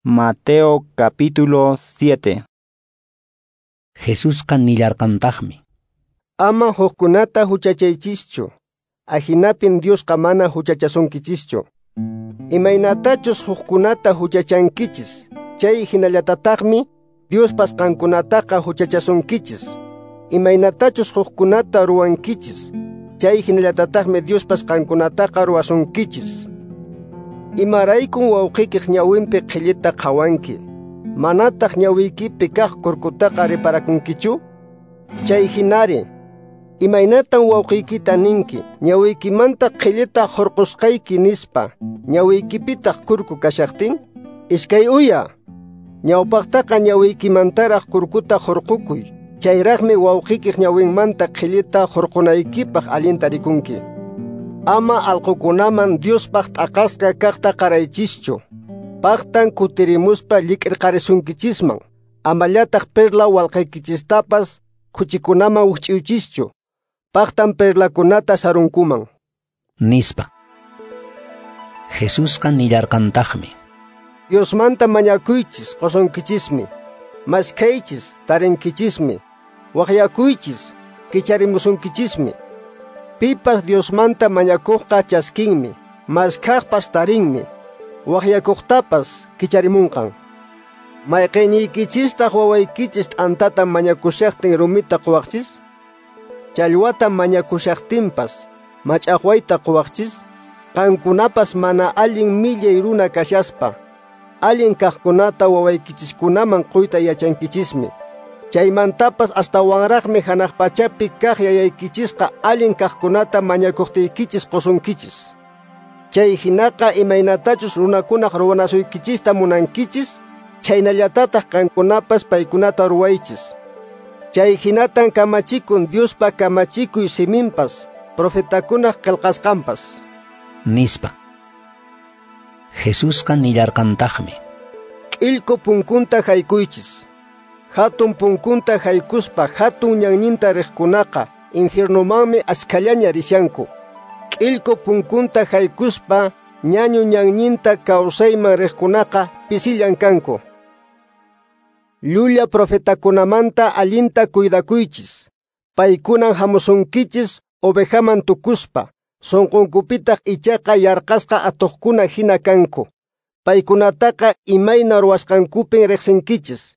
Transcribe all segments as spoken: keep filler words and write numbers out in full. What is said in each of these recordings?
Mateo capítulo siete. Jesusqa nillarqantaqmi: Ama hukkunata huchachaychischu, ahinapin Diosqa mana huchachasunkichischu. Imaynatachus hukkunata huchachankichis, chay hinallatataqmi Diospas qankunataqa huchachasunkichis. Imaynatachus hukkunata ruwankichis, chay hinallatataqmi Diospas qankunataqa ruwasunkichis. Imaraykun wawqikiq ñawinpi qhillita qhawanki, manataq ñawiykipi kaq kurkutaqa riparakunkichu? Chay hinari, imaynatan wawqiykita ninki, ñawiykimanta qhillita hurqusqayki nispa, ñawiykipitaq kurku kashaqtin? Iskay uya, ñawpaqtaqa ñawiykimantaraq kurkuta hurqukuy, chayraqmi wawqikiq ñawinmanta qhillita hurqunaykipaq allinta rikunki. Ama alqukunaman Diospaq t'aqasqa kaqta qaraychischu, paqtan kutirimuspa llik'irqarisunkichisman, amallataq perla walqaykichistapas khuchikunaman wikch'uychischu, paqtan perlakunata sarunkuman. Nispa. Jesusqa nillarqantaqmi: Diosmanta mañakuychis qusunkichismi, maskhaychis tarinkichismi, waqyakuychis kicharimusunkichismi. Pipas Diosmanta mañakuqqa chaskinmi, maskhaqpas tarinmi, waqyakuqtapas kicharimunqan. Mayqiniykichistaq wawaykichis t'antata mañakushaqtin rumita quwaqchis? Challwata mañakushaqtinpas mach'aqwayta quwaqchis? Qankunapas mana allin millay runa kashaspa, allin kaqkunata wawaykichiskunaman quyta yachankichismi. Chaymantapas astawanraqmi hanaq pachapi kaq yayaykichisqa allin kaqkunata mañakuqtiykichis qusunkichis. Chay hinaqa imaynatachus runakunaq ruwanasuykichista munankichis, chhaynallatataq qankunapas paykunata ruwaychis. Chay hinatan kamachikun Diospa kamachikuy siminpas, profetakunaq qillqasqanpas. Nispa. Jesusqa nillarqantaqmi: K'illku punkunta haykuychis. Hatun punkunta haykuspa hatun ñanninta riqkunaqa infiernomanmi askhallaña rishanku. K'illku punkunta haykuspa ñañu ñanninta kawsayman riqkunaqa pisillan kanku. Llulla profetakunamanta allinta cuidakuychis. Paykunan hamusunkichis ovejaman tukuspa, sunqunkupitaq ichaqa yarqasqa atuqkuna hina kanku. Paykunataqa imayna ruwasqankupin riqsinkichis.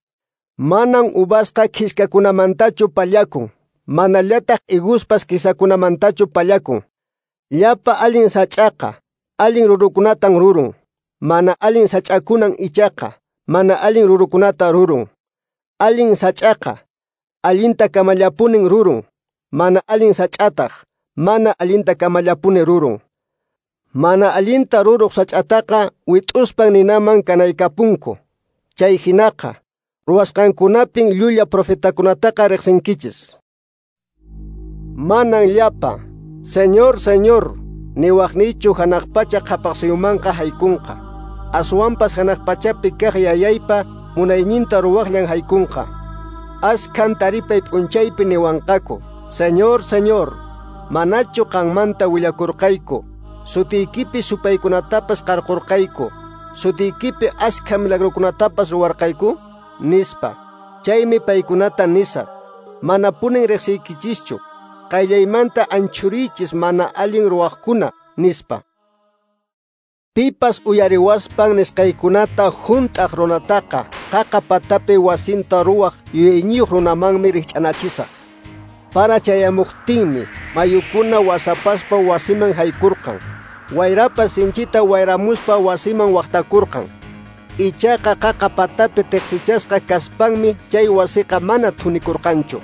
Manan uvasqa khiskakunamantachu pallakun, manallataq higuspas kisakunamantachu pallakun. Llapa allin sach'aqa, allin rurukunatan rurun. Mana allin sach'akunan ichaqa, mana allin rurukunata rurun. Allin sach'aqa, allinta kamallapunin rurun. Mana allin sach'ataq, mana allinta kamallapuni rurun. Mana allinta ruruq sach'ataqa wit'uspan ninaman kanaykapunku. Chay hinaqa, ruwasqankunapin llulla profetakunataqa riqsinkichis. Manan llapa, Señor, Señor, niwaqniychu hanaq pacha qhapaqsuyumanqa haykunqa. Aswanpas hanaq pachapi kaq yayaypa munayninta ruwaqllan haykunqa. Askhan taripay p'unchaypi niwanqaku, Señor, Señor, manachu qanmanta willakurqayku, sutiykipi supaykunatapas qarqurqayku, sutiykipi askha milagrokunatapas ruwarqayku? Nispa. Chaymi paykunata nisaq, manapunin riqsiykichischu, qayllaymanta anchhuriychis mana allin ruwaqkuna, nispa. Pipas uyariwaspan nisqaykunata hunt'aq runataqa qaqa patapi wasinta ruwaq yuyayniyuq runamanmi rikch'anachisaq. Para chayamuqtinmi mayukuna wasapaspa wasiman haykurqan, wayrapas sinchita wayramuspa wasiman waqtakurqan. Ichaqa qaqa patapi tiqsichasqa kaspanmi chay wasiqa mana thunikurqanchu.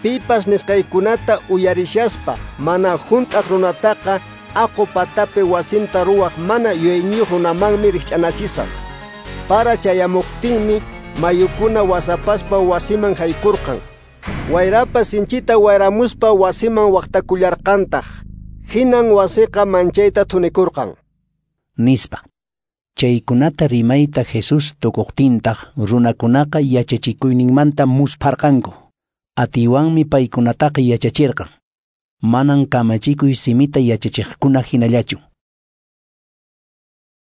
Pipas nisqaykunata uyarishaspa mana hunt'aq runataqa aqu patapi wasinta ruwaq mana yuyayniyuq runamanmi rikch'anachisaq. Para chayamuqtinmi mayukuna wasapaspa wasiman haykurqan. Wayrapas sinchita wayramuspa wasiman waqtakullarqantaq. Hinan wasiqa manchayta thunikurqan. Nispa. Chaykunata rimayta Jesús tukuqtintaq runakunaqa yachachikuyninmanta muspharqanku. Atiwanmi paykunataqa yachachirqan. Manan kamachikuy simita yachachiqkuna hinallachu.